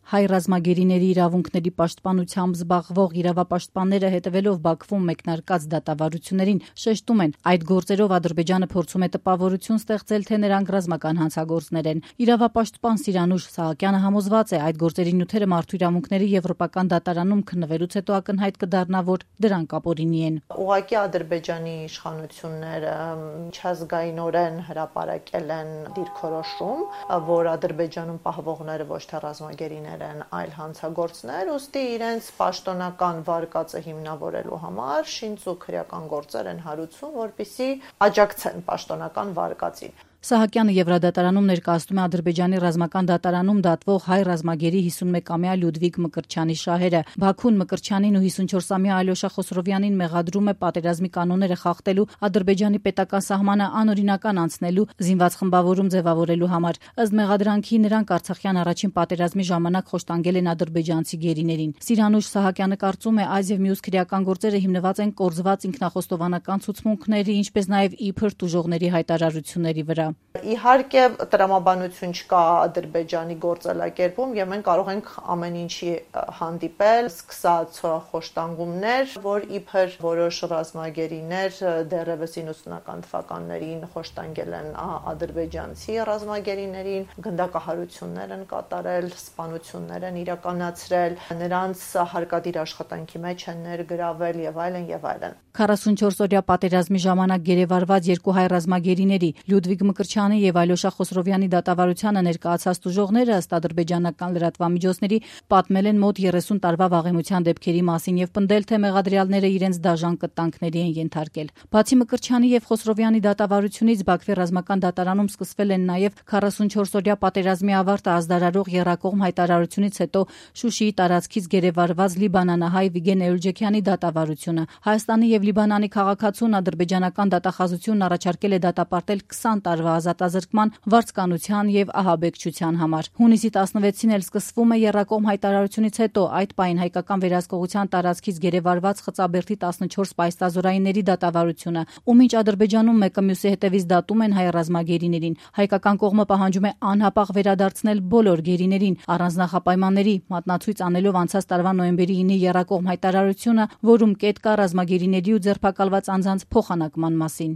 Հայ ռազմագերիների իրավունքների պաշտպանությամբ զբաղվող իրավապաշտպանները հետևելով Բաքվում մեկնարկած դատավարություններին շեշտում են, այդ գործերով Ադրբեջանը փորձում է տպավորություն ստեղծել, թե նրանք ռազմական հանցագործներ են։ Իրավապաշտպան Սիրանուշ Սահակյանը համոզված է, այդ գործերի նյութերը մարդու իրավունքների եվրոպական դատարանում քննվելուց հետո ակնհայտ կդառնա, որ դրանք ապօրինի են։ Ուղղակի Ադրբեջանի իշխանությունները միջազգայինորեն հրապարակել են դիրքորոշում, որ Ադրբեջանում պահվողները ոչ թե ռազմագերիներ են, այլ հանցագործներ, ուստի իրենց պաշտոնական վարկածը հիմնավորելու համար շինծ ու քրեական գործեր են հարուցում, որպեսզի աջակցեն պաշտոնական վարկածին։ Սահակյանը Եվրադատարանում ներկայացնում է Ադրբեջանի ռազմական դատարանում դատվող հայ ռազմագերի 51-ամյա Լյուդվիգ Մկրտչյանի շահերը։ Բաքուն Մկրտչյանին ու 54-ամյա Ալյոշա Խոսրովյանին մեղադրում է պատերազմի կանոնները խախտելու, Ադրբեջանի պետական սահմանը անօրինական անցնելու, զինված խմբավորում ձևավորելու համար։ Ըստ մեղադրանքի նրանք Արցախյան առաջին պատերազմի ժամանակ խոշտանգել են ադրբեջանցի գերիներին։ Սիրանուշ Սահակյանը կարծում է, այս եւ մյուս քրեական գործերը հիմնված են կորզված ինքնախոստովանական ցուցմունքների, ինչպես նաեւ իբր տուժողների հայտարարությունների վրա։ Իհարկե տրամաբանություն չկա Ադրբեջանի գործելակերպում եւ մենք կարող ենք ամեն ինչի հանդիպել, սկսած խոշտանգումներ, որ իբր որոշ ռազմագերիներ դեռևս 90-ական թվականներին խոշտանգել են ադրբեջանցի ռազմագերիներին, գնդակահարություններ են կատարել, սպանություններ են իրականացրել, նրանց հարկադիր աշխատանքի մեջ են ներգրավել եւ այլն եւ այլն։ 44-օրյա պատերազմի ժամանակ գերեվարված երկու հայ ռազմագերիների Լյուդվիգ Մկրտչյանի եւ Ալյոշա Խոսրովյանի դատավարությանը ներկայացած տուժողները ըստ ադրբեջանական լրատվամիջոցների պատմել են մոտ 30 տարվա վաղեմության դեպքերի մասին եւ պնդել, թե մեղադրյալները իրենց դաժան կտանքների են ենթարկել։ Բացի Մկրտչյանի եւ Խոսրովյանի դատավարությունից Բաքվի ռազմական դատարանում սկսվել են նաեւ 44-օրյա պատերազմի ավարտը ազդարարող եռակողմ հայտարարությունից հետո Շուշիի տարածքից գերեվարված լիբանանահայ Վիգեն Էյուրջեքյանի դատավարությունը։ Հայաստանի եւ Լիբանանի քաղաքացուն ադրբեջանական դատախազությունն առաջարկել է դատապարտել 20 տարվա ազատազրկման, վարձկանության եւ ահաբեկչության համար։ Հունիսի 16-ին էլ սկսվում է եռակողմ հայտարարությունից հետո այդ պահին հայկական վերահսկողության տարածքից գերեվարված Խծաբերդի 14 պայստազորայինների դատավարությունը, ու մինչ Ադրբեջանում մեկը մյուսի հետևից դատում են հայ ռազմագերիներին, հայկական կողմը պահանջում է անհապաղ վերադարձնել բոլոր գերիներին առանց նախապայմանների, մատնացույց անելով անցած տարվա նոյեմբերի 9-ի եռակողմ հայտարարությունը, որում կետ կա ռազմագերիների ու ձերբակալված անձանց փոխանակման մասին։